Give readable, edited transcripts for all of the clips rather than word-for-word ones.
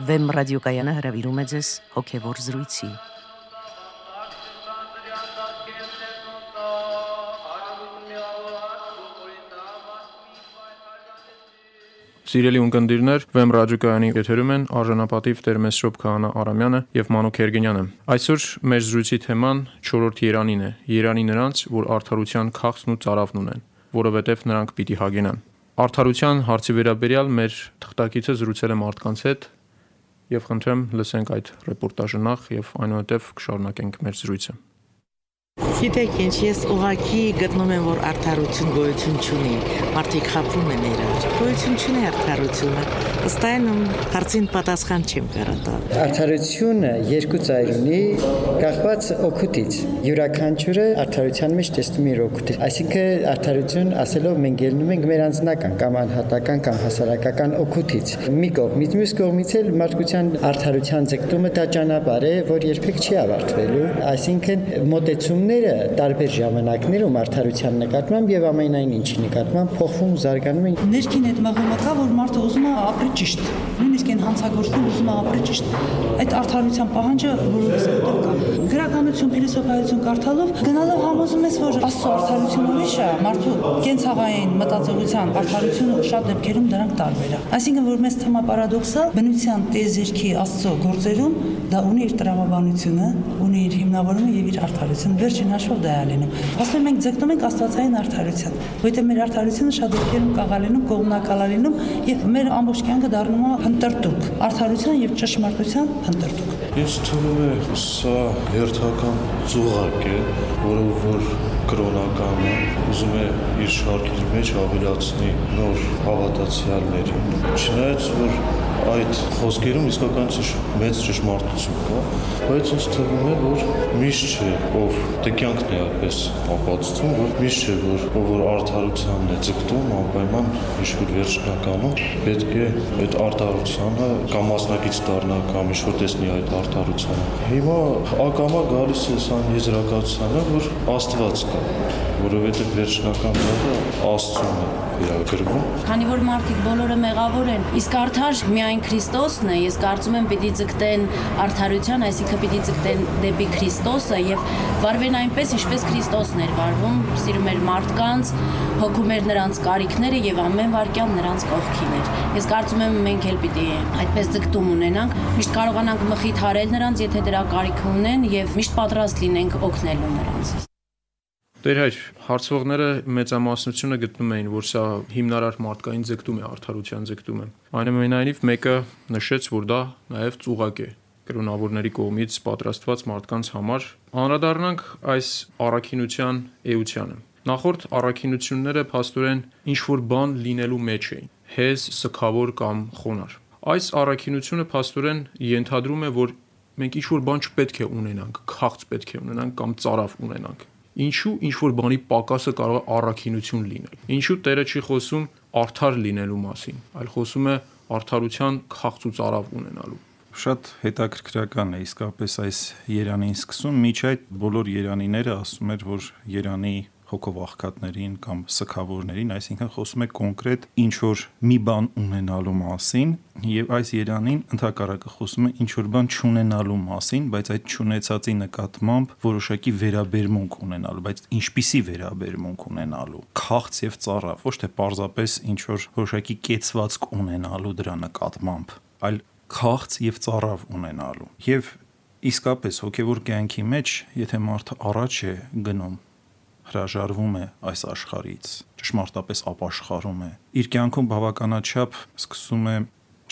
Վեմ ռադիոկայանը հրավիրում է ձեզ հոգևոր զրույցի։ Սիրելի ունկնդիրներ, Վեմ ռադիոկայանի եթերում են արժանապատիվ Տեր Մեսրոպ Քահանա Արամյանը եւ Մանուկ Երգենյանը։ Այսօր մեր զրույցի թեման 4-րդ երանին է։ Երանի նրանց, որ արդարության քաղցն ու ծարավն ունեն, որովհետեւ նրանք պիտի հագենան։ Արդարության հարցի վերաբերյալ մեր թղթակիցը զրուցել է մարդկանց հետ եւ խնդրեմ լսենք այդ ռեպորտաժը նախ եւ այնուհետեւ կշարունակենք մեր զրույցը։ Գիտեք ինչ, ես ուղղակի գտնում եմ, որ արդարություն գոյություն չունի, մարդիկ խաբվում են իրար, գոյություն չունի արդարությունը, ըստ այնմ հարցին պատասխան չեմ կարող տալ։ Արդարությունը երկու ծայր ունի, կախված օգուտից, յուրաքանչյուրը արդարության մեջ տեսնում իր օգուտը, այսինքն արդարություն ասելով մենք ելնում ենք մեր անձնական կամ անհատական կամ հասարակական օգուտից, մի կողմից, մյուս կողմից էլ մարդկության արդարության ձգտումը դա ճանապարհ է, որ երբեք չի ավարտվելու, այսինքն մոտեցումները տարբեր ժամանակներում արդարության նկատմամբ եւ ամենայն ինչի նկատմամբ փոխվում, զարգանում են։ Ներքին այդ մղումը կա, որ մարդը ուզում է ապրի ճիշտ, նույնիսկ այն հանցագործն ուզում է ապրի ճիշտ։ Այդ արդարության պահանջը բոլորիս մոտ կա։ Գրականություն, փիլիսոփայություն կարդալով գնալով համոզում ես, որ Աստծո արդարությունը ուրիշ է, մարդու կենցաղային մտածողության արդարությունը շատ դեպքերում դրանք տարբեր է։ Այսինքն, որ մեզ թվում է պարադոքսալ, բնության տիեզերքի Աստծո գործերում դա ունի իր տրամաբանությունը, ունի իր հիմնավորումը եւ իր արդարությունը։ Վերջին հաշվով դա է լինում։ Ասում ենք ձգտում ենք աստվածային արդարության, որովհետեւ մեր արդարությունը շատ դեպքերում կաղալենում, կողմնակալալինում եւ մեր ամբողջ կյանքը դառնում է հնդրտուկ, արդարության եւ ճշմարտության հնդրտուկ։ Ինձ թվում է սա հերթական ծուղակ է, որը որ կրոնականը ուզում է իր շարքի մեջ ավելացնի նոր հավատացյալներին։ Չնայած որ այդ խոսքերում իսկականից մեծ ճշմարտություն կա, բայց ինձ թվում է, որ միշտ չէ, ով կյանքն է այդպես ապացուցում, որ միշտ չէ, որ արդարությանն է ձգտում, անպայման ինչ-որ վերջնականում պետք է այդ արդարությանը կամ մասնակից դառնա կամ ինչ-որ տեսնի այդ արդարությանը։ Հիմա ակամա գալիս է սան եզրակացությանը, որ Աստված կա, որովհետև վերջնական բանը Աստծուն է վերագրվում։ Քանի որ մարդիկ բոլորը մեղավոր են, իսկ արդար միայն Քրիստոսն է, ես կարծում եմ պիտի ձգտեն արդարության, այսինքն պիտի ձգտեն դեպի Քրիստոսը եւ վարվեն այնպես, ինչպես Քրիստոսն էր վարվում, սիրում էր մարդկանց, հոգում էր նրանց կարիքները եւ ամեն վարքյան նրանց կողքին էր։ Ես կարծում եմ մենք էլ պիտի այդպես ձգտում ունենանք, միշտ կարողանանք մխիթարել նրանց, եթե դրա կարիք ունեն եւ միշտ պատրաստ լինենք օգնելու նրանց։ Տեր հայր, հարցվողները մեծամասնությունը գտնում էին, որ սա հիմնարար մարդկային ձգտում է, արդարության ձգտում է։ Այնուամենայնիվ մեկը նշեց, որ դա նաև ծուղակ է կրոնավորների կողմից պատրաստված մարդկանց համար։ Անդրադառնանք այս առաքինության էությանը։ Նախորդ առաքինությունները փաստորեն ինչ-որ բան լինելու մեջ էին, հեզ, սգավոր կամ խոնար։ Այս առաքինությունը փաստորեն ենթադրում է, որ մենք ինչ-որ բան չպետք է ունենանք, քաղց պետք է ունենանք կամ ծարավ ունենանք։ Ինչու ինչ-որ բանի պակասը կարող է առաքինություն լինել։ Ինչու Տերը չի խոսում արդար լինելու մասին, այլ խոսում է արդարության քաղց ու ծարավ ունենալու։ Շատ հետաքրքրական է իսկապես այս երանին սկսում, միջ այդ բոլոր երանիները ասում էր, որ երանի հոգով աղքատներին կամ սգավորներին, այսինքն խոսում է կոնկրետ ինչ-որ մի բան ունենալու մասին, եւ այս երանին ընդհակառակը խոսում է ինչ-որ բան չունենալու մասին, բայց այդ չունեցածի նկատմամբ որոշակի վերաբերմունք ունենալու, բայց ինչպիսի վերաբերմունք ունենալու, քաղց եւ ծարավ, ոչ թե պարզապես ինչ-որ որոշակի կեցվածք ունենալու դրա նկատմամբ, այլ քաղց եւ ծարավ ունենալու։ Եվ իսկապես հոգեվոր կյանքի մեջ, եթե մարդը առաջ է գնում, հրաժարվում է այս աշխարհից, ճշմարտապես ապաշխարում է, իր կյանքում բավականաչափ սկսում է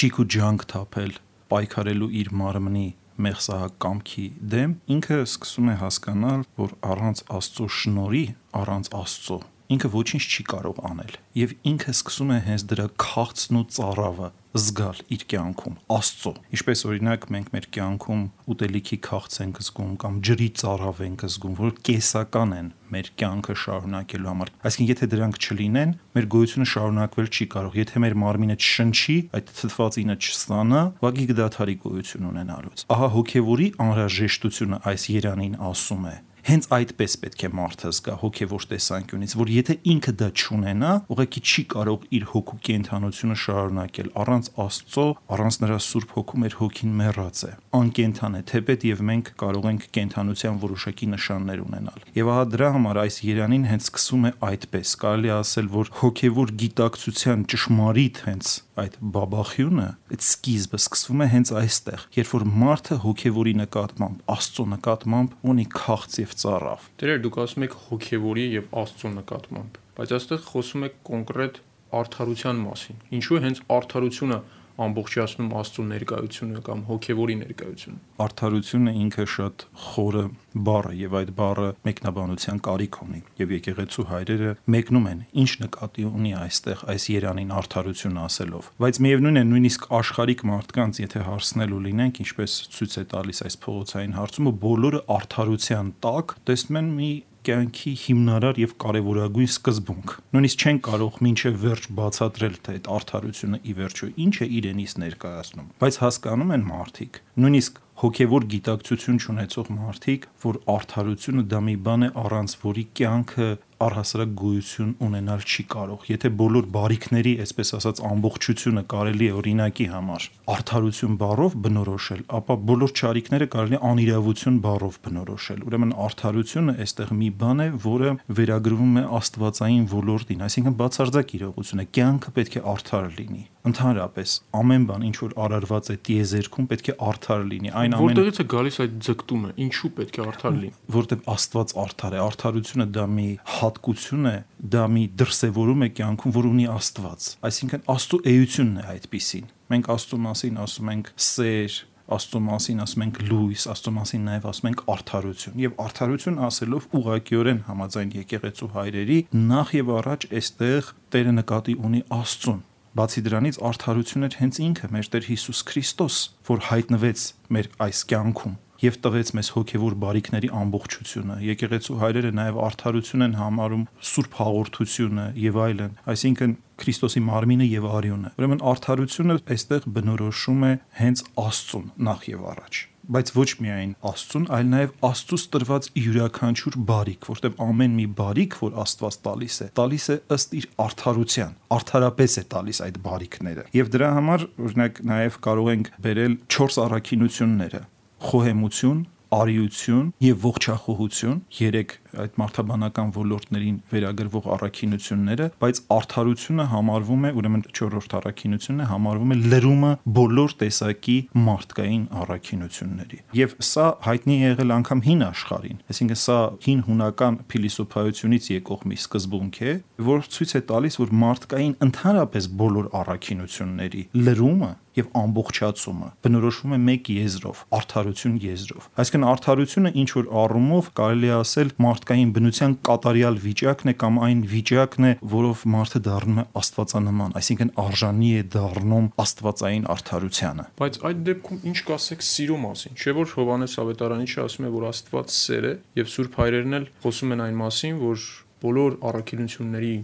ճիք ու ջանք թափել, պայքարելու իր մարմնի մեղսահակ կամքի դեմ, ինքը սկսում է հասկանալ, որ առանց Աստծո շնորհի, առանց Աստծո ինքը ոչինչ չի կարող անել եւ ինքը սկսում է հենց դրա քաղցն ու ծարավը զգալ իր կյանքում Աստծո։ Ինչպես օրինակ մենք մեր կյանքում ուտելիքի քաղց ենք զգում կամ ջրի ծարավ ենք զգում, որ կեսական են մեր կյանքը շարունակելու համար։ Այսինքն եթե դրանք չլինեն, մեր գոյությունը շարունակվել չի կարող։ Եթե մեր մարմինը չշնչի, այդ թթվածինը չստանա, ուղղակի կդադարի գոյություն ունենալուց։ Ահա հոգևորի անհրաժեշտությունը այս երանին ասում է։ հենց այդպես պետք է մարդը զգա հոգևոր տեսանկյունից, որ եթե ինքը դա չունենա, ուղղակի չի կարող իր հոգու կենդանությունը շարունակել։ Առանց Աստծո, առանց նրա Սուրբ Հոգու մեր հոգին մեռած է, անկենդան է, թեպետ եւ մենք կարող ենք կենդանության որոշակի նշաններ ունենալ։ Եվ ահա դրա համար այս երանին հենց սկսում է այդպես, կարելի ասել, որ հոգևոր գիտակցության ճշմարիտ հենց այդ բաբախյունը, այդ սկիզբը սկսվում է հենց այստեղ, երբ որ մարդը հոգևորի նկատմամբ, Աստծո նկատմամբ ունի քաղց եւ ծառավ։ Դերեր դուք ասում եք հոգևորի եւ Աստծո նկատմամբ, բայց այստեղ խոսում եք կոնկրետ արդարության մասին։ Ինչու է հենց արդարությունը ամբողջացնում Աստծո ներկայությունը կամ հոգևորի ներկայությունը։ Արդարությունը ինքը շատ խորը բառ է եւ այդ բառը մեկնաբանության կարիք ունի եւ եկեղեցու հայրերը մեկնում են ինչ նկատի ունի այստեղ այս երանին արդարություն ասելով, բայց միևնույն է նույնիսկ աշխարհիկ մարդկանց եթե հարցնելու լինենք, ինչպես ցույց է տալիս այս փողոցային հարցումը, բոլորը արդարության տակ տեսնում են մի կյանքի հիմնարար եւ կարեւորագույն սկզբունք։ Նույնիսկ չեն կարող մինչեւ վերջ բացատրել, թե այդ արդարությունը ի վերջո ինչ է իրենից ներկայացնում, բայց հասկանում են մարդիկ, նույնիսկ հոգևոր գիտակցություն ունեցող մարդիկ, որ արդարությունը դա մի բան է, առանց որի կյանքը առհասարակ գոյություն ունենալ չի կարող։ Եթե բոլոր բարիքների, այսպես ասած, ամբողջությունը կարելի է օրինակի համար արդարություն բառով բնորոշել, ապա բոլոր չարիքները կարելի է անիրավություն բառով բնորոշել։ Ուրեմն արդարությունը այստեղ մի բան է, որը վերագրվում է աստվածային ոլորտին, այսինքն բացարձակ իրողություն է, կյանքը պետք է արդար լինի։ Ընդհանրապես ամեն բան, ինչ որ արարված է տիեզերքում, պետք է արդար լինի։ Այն ամեն Որտեղից է գալիս այդ ձգտումը, ինչու պետք է արդար լինի։ Որտեղ Աստված արդար է, արդարությունը դա մի հատկություն է, դա մի դրսևորում է կյանքում, որ ունի Աստված։ Այսինքն Աստծո էությունն է այդպիսին։ Մենք Աստծո մասին ասում ենք սեր, Աստծո մասին ասում ենք լույս, Աստծո մասին նաև ասում ենք արդարություն։ Եվ արդարություն ասելով ուղղակիորեն համաձայն եկեղեցու հայրերի նախ եւ առաջ այստեղ Տերը նկատի ունի Աստծուն։ Բացի դրանից արդարությունն էր հենց ինքը մեր Տեր Հիսուս Քրիստոս, որ հայտնվեց մեր այս կյանքում եւ տվեց մեզ հոգեվոր բարիքների ամբողջությունը։ Եկեղեցու հայրերը նաև արդարություն են համարում Սուրբ հաղորդությունը եւ այլն, այսինքն Քրիստոսի մարմինը եւ արյունը։ Ուրեմն արդարությունը այստեղ բնորոշում է հենց Աստծուն նախ եւ առաջ, բայց ոչ միայն Աստծուն, այլ նաև Աստծուց տրված յուրաքանչյուր բարիք, որտեղ ամեն մի բարիք, որ Աստված տալիս է ըստ իր արդարության, արդարապես է տալիս այդ բարիքները։ Եվ դրա համար, օրինակ, նաև կարող ենք բերել 4 առաքինությունները՝ խոհեմություն, արիություն եւ ողջախոհություն, 3 այդ մարդաբանական ոլորտներին վերագրվող առաքինությունները, բայց արդարությունը համարվում է, ուրեմն 4-րդ առաքինությունն է, համարվում է լրումը բոլոր տեսակի մարդկային առաքինությունների։ Եվ սա հայտնի է եղել անգամ հին աշխարհին, այսինքն սա հին հունական փիլիսոփայությունից եկող մի սկզբունք է, որ ցույց է տալիս, որ մարդկային ընդհանրապես բոլոր առաքինությունների լրումը եւ ամբողջացումը բնորոշվում է մեկ եզրով, արդարություն եզրով։ Այսինքն արդարությունը ինչ որ առումով կարելի է ասել մարդկային բնության կատարյալ վիճակն է կամ այն վիճակն է, որով մարդը դառնում է աստվածանման, այսինքն արժանի է դառնում աստվածային արդարությանը։ Բայց այդ դեպքում ինչ կասեք սիրո մասին, չէ՞ որ Հովհաննես Ավետարանիչը ասում է, որ Աստված սեր է, եւ Սուրբ հայրերն էլ խոսում են այն մասին, որ բոլոր առաքինությունների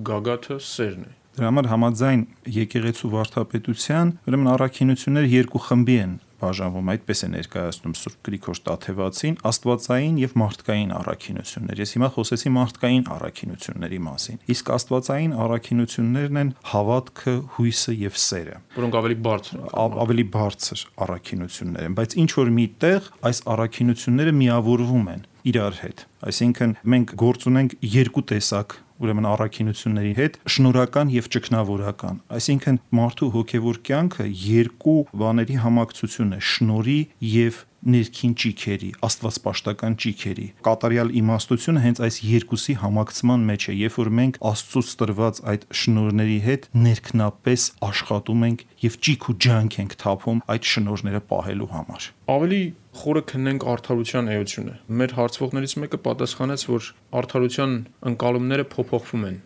գագաթը սերն է։ Դրա համար համաձայն եկեղեցու վարդապետության, ուրեմն առաքինությունները երկու խմբի են բաժանվում, այդպես է ներկայացնում Սուրբ Գրիգոր Տաթևացին, աստվածային եւ մարդկային առաքինություններ։ Ես հիմա խոսեցի մարդկային առաքինությունների մասին։ Իսկ աստվածային առաքինություններն են հավատքը, հույսը եւ սերը, որոնք ավելի բարձր առաքինություններ են, բայց ինչ որ միտեղ այս առաքինությունները միավորվում են իրար հետ։ Այսինքն մենք գործ ունենք երկու տեսակ ուրեմն առաքինությունների հետ, շնորհական եւ ճգնավորական։ Այսինքն մարդու հոգեվոր կյանքը երկու բաների համակցություն է՝ շնորհի եւ ներքին ճիքերի, աստվածպաշտական ճիքերի։ Կատարյալ իմաստությունը հենց այս երկուսի համակցման մեջ է, երբ որ մենք Աստծուց տրված այդ շնորհների հետ ներքնապես աշխատում ենք եւ ճիք ու ջանք ենք թափում այդ շնորհները պահելու համար։ Ավելի խորը քննենք արդարության էությունը։ Մեր հարցվողներից մեկը պատասխանեց, որ արդարության ընկալումները փոփոխվում են։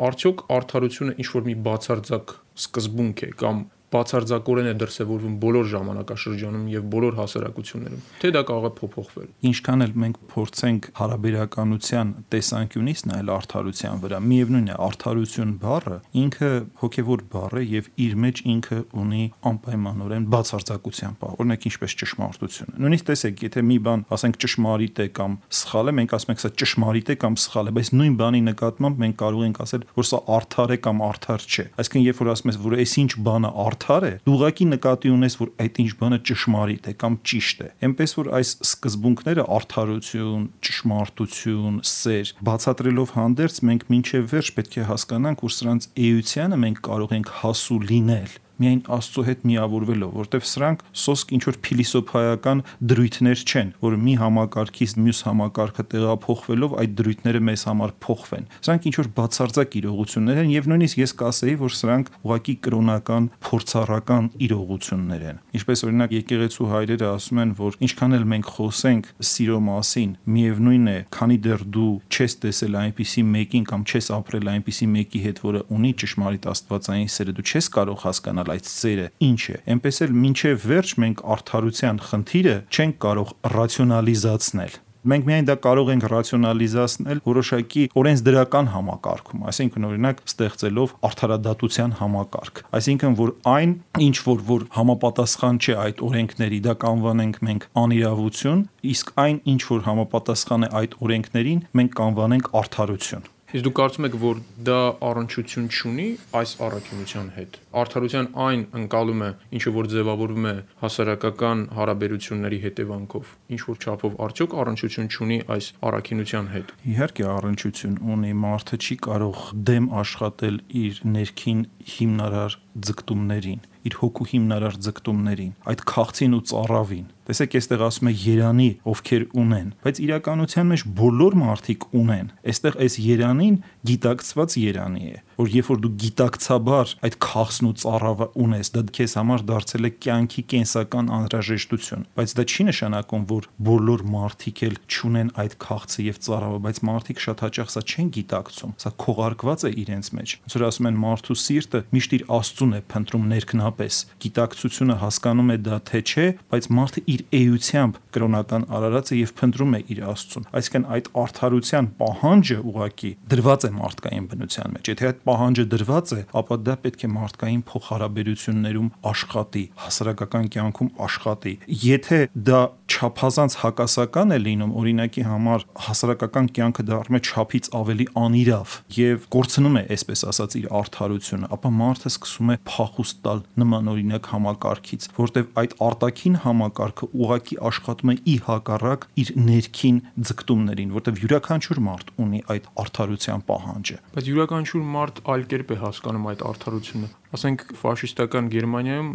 Արդյոք արդարությունը ինչ որ մի բացարձակ սկզբունք է կամ բացարձակորեն է դրսևորվում բոլոր ժամանակաշրջանում եւ բոլոր հասարակություններում, թե դա կարող է փոփոխվել։ Ինչքան էլ մենք փորձենք հարաբերականության տեսանկյունից նայել արդարության վրա, միևնույն է, արդարություն բառը ինքը հոգևոր բառ է եւ իր մեջ ինքը ունի անպայմանորեն բացարձակության բառ, օրինակ ինչպես ճշմարտությունը։ Նույնիսկ տեսեք, եթե մի բան, ասենք ճշմարիտ է կամ սխալ է, մենք ասում ենք սա ճշմարիտ է կամ սխալ է, բայց նույն բանի նկատմամբ մենք կարող ենք ասել, որ սա արդար է կամ արդար չէ։ Այսինքն, երբ որ ասում ես, որ այս ինչ բանը արդար է, դու ուղղակի նկատի ունես, որ այդ ինչ բանը ճշմարիտ է կամ ճիշտ է։ Էնպես որ այս սկզբունքները արդարություն, ճշմարտություն, սեր բացատրելով հանդերձ մենք մինչև վերջ պետք է հասկանանք, որ սրանց էությանը մենք կարող ենք հասու լինել միայն Աստծո հետ միավորվելով, որտեվ սրանք սոսկ ինչ որ փիլիսոփայական դրույթներ չեն, որ մի համակարգից մյուս համակարգը տեղափոխվելով այդ դրույթները մեզ համար փոխվեն։ Սրանք ինչ որ բացարձակ իրողություններ են եւ նույնիսկ ես կասեի, որ սրանք ուղղակի կրոնական, փորձառական իրողություններ են։ Ինչպես օրինակ եկեղեցու հայրերը ասում են, որ ինչքան էլ մենք խոսենք սիրո մասին, միևնույն է, քանի դեռ դու չես տեսել այնպիսի մեկին կամ չես ապրել այնպիսի մեկի հետ, որը ունի ճշմարիտ աստվածային սերը, դու չես կարող հասկանալ այդ սերը ինչ է։ Էնպես էլ մինչև վերջ մենք արդարության խնդիրը չենք կարող ռացիոնալիզացնել։ Մենք միայն դա կարող ենք ռացիոնալիզացնել որոշակի օրենսդրական համակարգում, այսինքն օրինակ ստեղծելով արդարադատության համակարգ։ Այսինքն որ այն ինչ որ համապատասխան չէ այդ օրենքների, դա կանվանենք մենք անիրավություն, իսկ այն ինչ որ համապատասխան է այդ օրենքներին, մենք կանվանենք արդարություն։ Իսկ դուք կարծում եք, որ դա առնչություն չունի այս առաքինության հետ։ Արդարության այն ընկալումը, ինչը որ ձևավորվում է հասարակական հարաբերությունների հետևանքով, ինչ որ չափով արդյոք առնչություն չունի այս առաքինության հետ։ Իհարկե առնչություն ունի, մարդը չի կարող դեմ աշխատել իր ներքին հիմնարար ձգտումներին, իր հոգու հիմնարար ձգտումներին, այդ քաղցին ու ծառավին։ Տեսեք, այստեղ ասում է երանի, ովքեր ունեն, բայց իրականության մեջ բոլոր մարդիկ ունեն։ Այստեղ այս երանին գիտակցված երանի է, որ երբ որ դու գիտակցաբար այդ քաղցն ու ծառավը ունես, դա քեզ համար դարձել է կյանքի կենսական անհրաժեշտություն, բայց դա չի նշանակում, որ բոլոր մարդիկ էլ չունեն այդ քաղցը եւ ծառավը, բայց մարդիկ շատ հաճախ սա չեն գիտակցում, սա քողարկված է իրենց մեջ։ Ոնց որ ասում են, մարդու սիրտը միշտ իր Աստծուն է փնտրում ներքնապես։ Գիտակցությունը հասկանում է դա թե չէ, բայց մարդը իր էությամբ կրոնական արարած է եւ փնտրում է իր Աստծուն։ Այսինքն այդ արդարության պահանջը ուղղակի դրված է մարդկային բնության մեջ։ Եթե այդ պահանջը դրված է, ապա դա պետք է մարդկային փոխհարաբերություններում աշխատի, հասարակական կյանքում աշխատի։ Եթե դա չափազանց հակասական է լինում, օրինակի համար հասարակական կյանքը դառնում է չափից ավելի անիրավ եւ կորցնում է, այսպես ասած, իր արդարությունը, ապա մարդը սկսում է փախուստ տալ նման օրինակ համակարգից, որտեղ այդ արտաքին համակարգը ուղղակի աշխատում է ի հակառակ իր ներքին ձգտումներին, որտեղ յուրաքանչյուր մարդ ունի այդ արդարության պահանջը։ Բայց յուրաքանչյուր մարդ այլ կերպ է հասկանում այդ արդարությունը։ Ասենք ֆաշիստական Գերմանիայում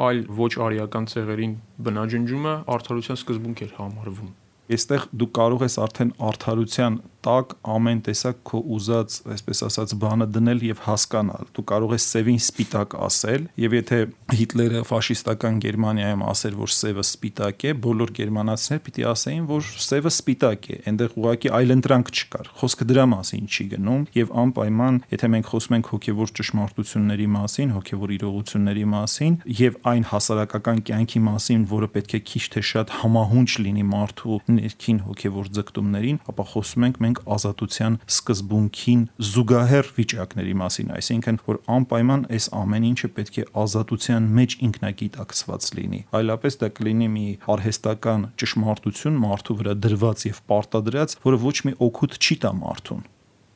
այլ ոչ արիական ցեղերին բնաջնջումը արդարության սկզբունք էր համարվում։ Այստեղ դու կարող ես արդեն արդարության տակ ամեն տեսակ քո ուզած, այսպես ասած, բանը դնել եւ հասկանալ։ Դու կարող ես սևին սպիտակ ասել, եւ եթե Հիտլերը ֆաշիստական Գերմանիայում ասեր, որ սևը սպիտակ է, բոլոր գերմանացիներ պիտի ասեին, որ սևը սպիտակ է։ Այնտեղ ուղղակի այլընտրանք չկար։ Խոսքը դրա մասին չի գնում եւ անպայման, եթե մենք խոսում ենք հոգեվոր ճշմարտությունների մասին, հոգեվոր իրողությունների մասին եւ այն հասարակական կյանքի մասին, որը պետք է քիչ թե շատ համահունչ լինի մարդու ներքին հոգեվոր ձգտումներին, ապա խոսում ենք մենք ազատության սկզբունքին զուգահեռ վիճակների մասին, այսինքն որ անպայման այս ամեն ինչը պետք է ազատության մեջ ինքնագիտակցված լինի, այլապես դա կլինի մի արհեստական ճշմարտություն մարդու վրա դրված եւ պարտադրած, որը ոչ մի օգուտ չի տա մարդուն։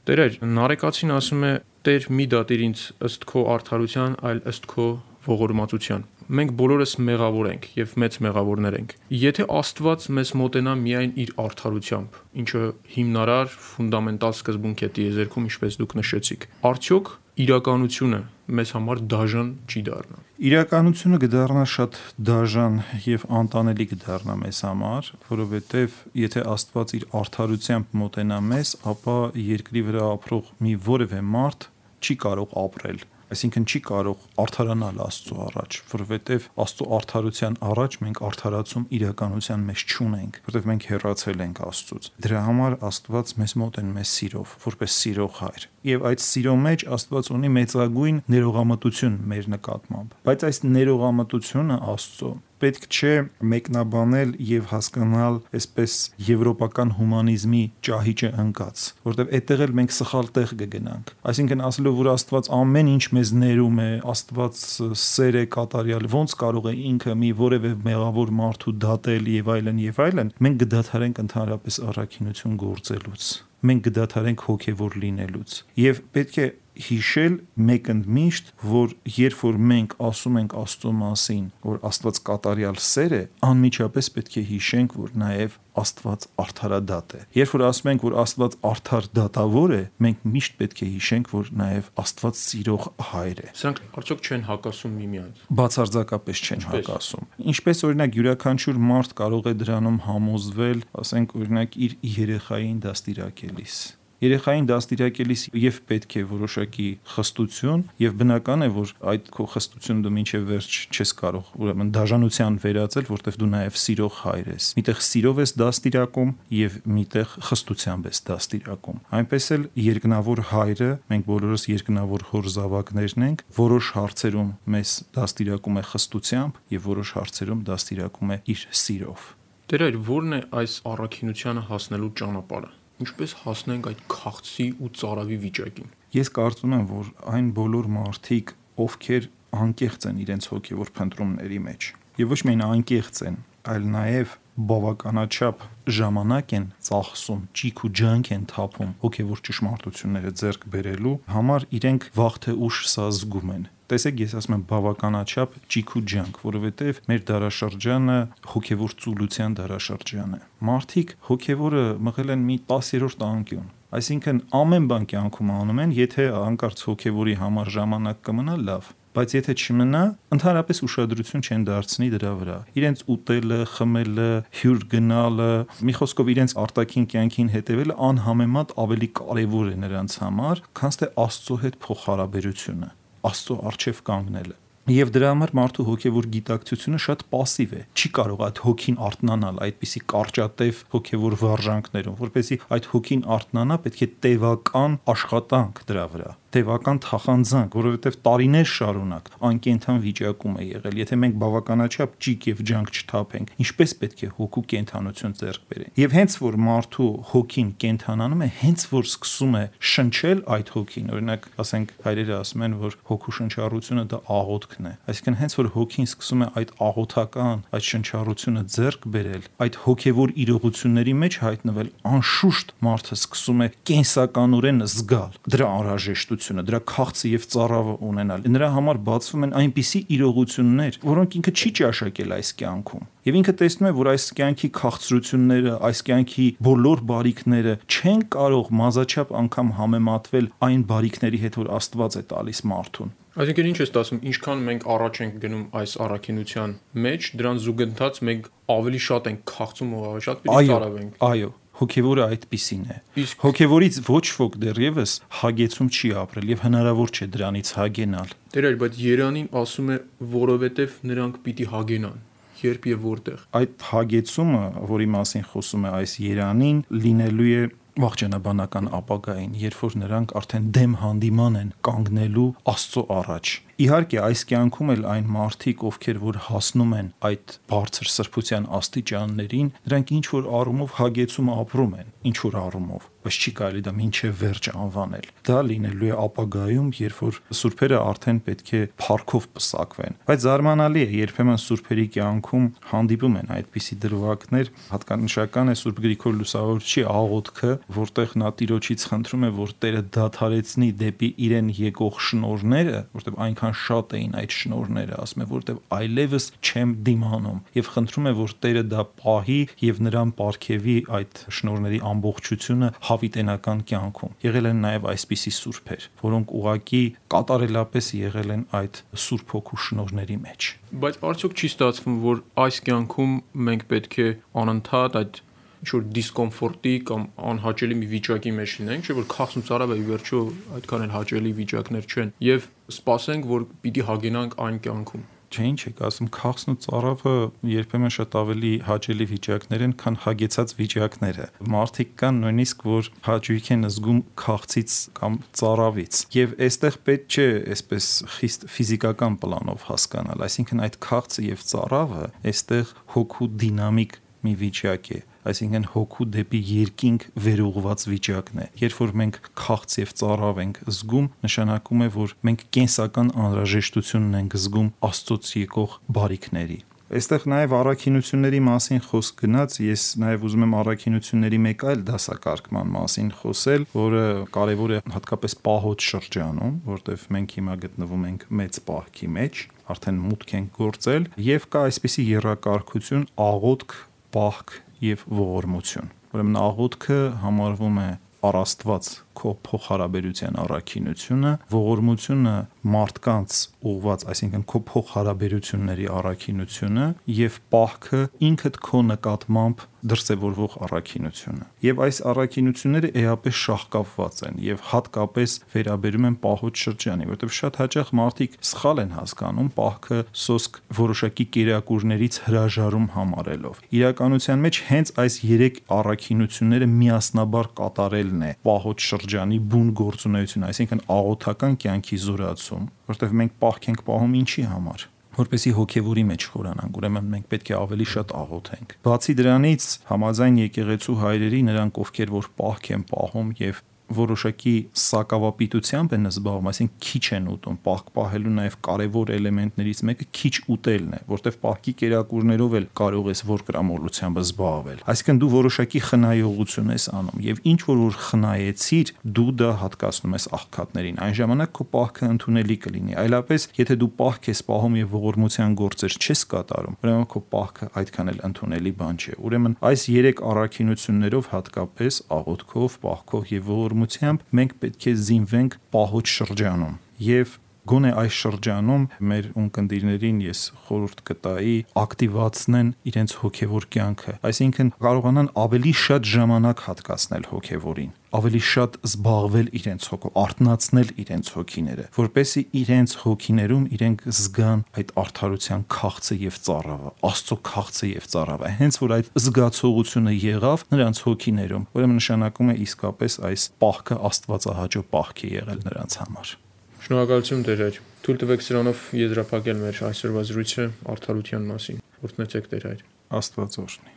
Տեր, Նարեկացին ասում է. «Տեր, մի դատիր ինձ ըստ քո արդարության, այլ ըստ քո ողորմածության»։ Մենք բոլորս մեղավոր ենք եւ մեծ մեղավորներ ենք։ Եթե Աստված մեզ մոտենա միայն իր արդարությամբ, ինչը հիմնարար ֆունդամենտալ սկզբունք է տիեզերքում, ինչպես դուք նշեցիք, արդյոք իրականությունը մեզ համար դաժան չի դառնա։ Իրականությունը կդառնա շատ դաժան եւ անտանելի կդառնա մեզ համար, որովհետեւ եթե Աստված իր արդարությամբ մոտենա մեզ, ապա երկրի վրա ապրող մի որևէ մարդ չի կարող ապրել Այսինքն չի կարող արդարանալ Աստծո առաջ, որովհետև Աստծո արդարության առաջ մենք արդարացում իրականության մեջ չունենք, որովհետև մենք հեռացել ենք Աստծուց։ Դրա համար Աստված մեզ մոտ է մեզ սիրով, որպես սիրող հայր։ Եվ այդ սիրո մեջ Աստված ունի մեծագույն ներողամտություն մեր նկատմամբ։ Բայց այս ներողամտությունը Աստծո պետք չէ մեկնաբանել եւ հասկանալ այսպես եվրոպական հումանիզմի ճահիճը ընկած, որովհետեւ այդտեղ էլ մենք սխալ տեղ կգնանք։ Այսինքն ասելով, որ Աստված ամեն ինչ մեզ ներում է, Աստված սեր է կատարյալ, ոնց կարող է ինքը մի որևէ մեղավոր մարդու դատել եւ այլն, մենք կդադարենք ընդհանրապես առաքինություն գործելուց։ Մենք կդադարենք հոգևոր լինելուց եւ պետք է հիշել մեկընդմիշտ, որ երբ որ մենք ասում ենք Աստծո մասին, որ Աստված կատարյալ սեր է, անմիջապես պետք է հիշենք, որ նաև Աստված արդարադատ է։ Երբ որ ասում ենք, որ Աստված արդար դատավոր է, մենք միշտ պետք է հիշենք, որ նաև Աստված սիրող հայր է։ Սրանք արդյոք չեն հակասում միմյանց։ Բացարձակապես չեն հակասում։ Ինչպես օրինակ յուրաքանչյուր մարդ կարող է դրանում համոզվել, ասենք օրինակ իր երեխային դաստիարակելիս։ Երեխային դաստիարակելիս եւ պետք է որոշակի խստություն եւ բնական է, որ այդ քո խստությունը դու մինչեւ վերջ չես կարող ուրեմն դաժանության վերածել, որտեվ դու նաեւ սիրող հայր ես։ Միտեղ սիրով ես դաստիարակում եւ միտեղ խստությամբ ես դաստիարակում։ Այնպես էլ երկնավոր հայրը, մենք բոլորս երկնավոր հոր զավակներն ենք, որոշ հարցերում մեզ դաստիարակում է խստությամբ եւ որոշ հարցերում դաստիարակում է իր սիրով։ Տեր այր ո՞րն է այս առաքինությանը հասնելու ճանապարհը։ Ինչպես հասնենք այդ քաղցի ու ծարավի վիճակին։ Ես կարծում եմ, որ այն բոլոր մարդիկ, ովքեր անկեղծ են իրենց հոգևոր փնտրումների մեջ, եւ ոչ միայն անկեղծ են, այլ նաեւ բավականաչափ ժամանակ են ծախսում, ճիք ու ջանք են թափում հոգևոր ճշմարտությունները ձեռք բերելու համար, իրենք վաղ թե ուշ սա զգում են։ Տեսեք, ես ասում եմ բավականաչափ ճիք ու ջանք, որովհետև մեր դարաշրջանը հոգևոր ծուլության դարաշրջան է։ Մարդիկ հոգևորը մղել են մի 10-րդ անկյուն։ Այսինքն ամեն բան կյանքում անում են, եթե հանկարծ հոգևորի համար ժամանակ կմնա, լավ, բայց եթե չմնա, ընդհանրապես ուշադրություն չեն դարձնի դրա վրա։ Իրենց ուտելը, խմելը, հյուր գնալը, մի խոսքով իրենց արտաքին կյանքին հետևելը անհամեմատ ավելի կարևոր է նրանց համար, քան թե Աստծո հետ փոխհարաբերությունը, Աստծո առջև կանգնելը։ Եվ դրա համար մարդու հոգևոր գիտակցությունը շատ пассив է։ Չի կարող այդ հոգին արթնանալ այդպիսի կարճատև հոգևոր վարժանքներում, որպեսզի այդ հոգին արթնանա, պետք է տևական աշխատանք դրա վրա, տևական թախանձանք, որովհետև տարիներ շարունակ անկենդան վիճակում է եղել։ Եթե մենք բավականաչափ ճիք եւ ջանք չթափենք, ինչպես պետք է հոգու կենթանություն ձեռք բերենք։ Եվ հենց որ մարդու հոգին կենթանանում է, հենց որ սկսում է շնչել այդ հոգին, օրինակ, ասենք հայրերը ասում են, որ հոգու շնչառությունը դա աղոթքն է։ Այսինքն հենց որ հոգին սկսում է այդ աղոթական, այդ շնչառությունը ձեռք բերել, այդ հոգևոր իրողությունների մեջ հայտնվել, անշուշտ մարդը սկսում է կենսականորեն զգալ դրա անհրաժեշտությունը, դրա քաղցը եւ ծարավը ունենալ։ Նրա համար բացվում են այնպիսի իրողություններ, որոնք ինքը չի ճաշակել այս կյանքում։ Եվ ինքը տեսնում է, որ այս կյանքի քաղցրությունները, այս կյանքի բոլոր բարիքները չեն կարող մազաչափ անգամ համեմատվել այն բարիքների հետ, որ Աստված է տալիս մարդուն։ Այսինքն ինչ ես ասում, ինչքան մենք առաջ ենք գնում այս առաքինության մեջ, դրան զուգընթաց մենք ավելի շատ ենք քաղցում ու ավելի շատ պիտի ծարավենք։ Այո, հոգևորը այդպիսին է։ Հոգևորից ոչ ոք դեռևս հագեցում չի ապրել եւ հնարավոր չէ դրանից հագենալ։ Տեր այլ, բայց Երանին ասում է, որովհետեւ նրանք պիտի հագենան։ Երբ եւ որտեղ։ Այդ հագեցումը, որի մասին խոսում է այս Երանին, լինելու է վաղճանաբանական ապագային, երբ որ նրանք արդեն դեմ հանդիման են կանգնելու Աստծո առաջ։ Իհարկե, այս կյանքում էլ այն մարդիկ, ովքեր որ հասնում են այդ բարձր սրբության աստիճաններին, նրանք ինչ որ առումով հագեցում ապրում են, ինչ որ առումով, բայց չի կարելի դա մինչև վերջ անվանել։ Դա լինելու է ապագայում, երբ որ սուրբերը արդեն պետք է փառքով պսակվեն։ Բայց զարմանալի է, երբեմն սուրբերի կյանքում հանդիպում են այդպիսի դրվագներ, հատկանշական է Սուրբ Գրիգոր Լուսավորչի աղոթքը, որտեղ նա Տիրոջից խնդրում է, որ Տերը դադարեցնի դեպի իրեն եկող շնորհները, որտեղ այնքան շատ էին այդ շնորհները, ասում է, որտեղ այլևս չեմ դիմանում, եւ խնդրում է, որ Տերը դա պահի եւ նրան պարգևի այդ շնորհների ամբողջությունը հավիտենական կյանքում։ Եղել են նաեւ այսպիսի սուրբեր, որոնք ուղակի կատարելապես եղել են այդ Սուրբ Հոգու շնորհների մեջ։ Բայց արդյոք չի ստացվում, որ այս կյանքում մենք պետք է անընդհատ այդ ինչ-որ դիսկոմֆորտի կամ անհաճելի մի վիճակի մեջ լինենք, չէ՞ որ քաղցում ծարավը ի վերջո այդքան էլ հաճելի վիճակներ չեն, եւ սպասենք, որ պիտի հագենանք այն կյանքում։ Չէ, ինչ եք ասում, քաղցն ու ծարավը երբեմն շատ ավելի հաճելի վիճակներ են, քան հագեցած վիճակները։ Մարդիկ կան նույնիսկ, որ հաճույք են զգում քաղցից կամ ծարավից։ Եվ այստեղ պետք չէ այսպես խիստ ֆիզիկական պլանով հասկանալ, այսինքն այդ քաղցը եւ ծարավը այստեղ հոգու դինամիկ մի վիճակ է, այսինքն հոգու դեպի երկինք վերուղված վիճակն է։ Երբ որ մենք քաղց եւ ծարավ ենք զգում, նշանակում է, որ մենք կենսական անհրաժեշտություն ենք զգում Աստծոց եկող բարիքների։ Այստեղ նաև առաքինությունների մասին խոսք գնաց, ես նաև ուզում եմ առաքինությունների մեկ այլ դասակարգման մասին խոսել, որը կարևոր է հատկապես պահոց շրջանում, որտեղ մենք հիմա գտնվում ենք մեծ պահքի մեջ, արդեն մուտք ենք գործել, եւ կա այսպիսի եռակարգություն աղոթք, պահք եւ ողորմություն։ Ուրեմն աղոթքը համարվում է առաստված քո փոխհարաբերության առաքինությունը, ողորմությունը մարդկանց ուղված, այսինքն քո փոխհարաբերությունների առաքինությունը եւ պահքը ինքդ քո նկատմամբ դրսևորվող առաքինությունը։ Եվ այս առաքինությունները էապես շահկապված են եւ հատկապես վերաբերում են պահոց շրջանի, որտեղ շատ հաճախ մարդիկ սխալ են հասկանում պահքը սոսկ որոշակի կերակուրներից հրաժարում համարելով։ Իրականության մեջ հենց այս 3 առաքինությունները միասնաբար կատարելն է պահոց շրջանի բուն գործունեություն, այսինքն աղոթական կյանքի զորացում, որտեղ մենք պահք ենք պահում ինչի համար, որպեսի հոգևորի մեջ խորանանք, ուրեմն մենք պետք է ավելի շատ աղոթենք։ Բացի դրանից, համաձայն եկեղեցու հայրերի, նրանք ովքեր որ պահք են պահում եւ որոշակի սակավապիտությամբ են զբաղվում, այսինքն քիչ են ուտում, պահք պահելու նաև կարևոր էլեմենտներից մեկը քիչ ուտելն է, որտեղ պահքի կերակուրներով էլ կարող ես որկրամոլությամբ զբաղվել։ Այսինքն դու որոշակի խնայողություն ես անում եւ ինչ որ խնայեցիր, դու դա հատկացնում ես աղքատներին։ Այն ժամանակ քո պահքը ընդունելի կլինի։ Այլապես, եթե դու պահք ես պահում եւ ողորմության գործեր չես կատարում, ուրեմն քո պահքը այդքան էլ ընդունելի բան չէ։ Ուրեմն այս 3 առաքինություններով հատկապես աղոթքով, պահքով եւ մենք պետք է զինվենք պահոց շրջանում եւ գոնե այս շրջանում մեր ունկնդիրներին ես խորհուրդ կտայի ակտիվացնեն իրենց հոգևոր կյանքը, այսինքն կարողանան ավելի շատ ժամանակ հատկացնել հոգևորին, ավելի շատ զբաղվել իրենց հոգով, արթնացնել իրենց հոգիները, որպեսզի իրենց հոգիներում իրենք զգան այդ արդարության քաղցը եւ ծարավը, Աստծո քաղցը եւ ծարավը, հենց որ այդ զգացողությունը եղավ նրանց հոգիներում, ուրեմն նշանակում է իսկապես այս պահքը աստվածահաճո պահք է եղել նրանց համար։ Շնորհակալություն Տեր Հայր։ Թույլ տվեք սրանով եզրափակել մեր այսօրվա զրույցը արդարության մասին։ Օրհնեցեք Տեր Հայր։ Աստված օրհնի։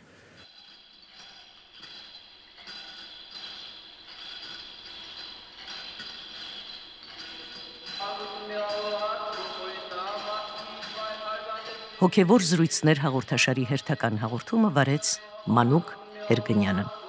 Հոգևոր զրույցներ հաղորդաշարի հերթական հաղորդումը վարեց Մանուկ Հերգնյանը։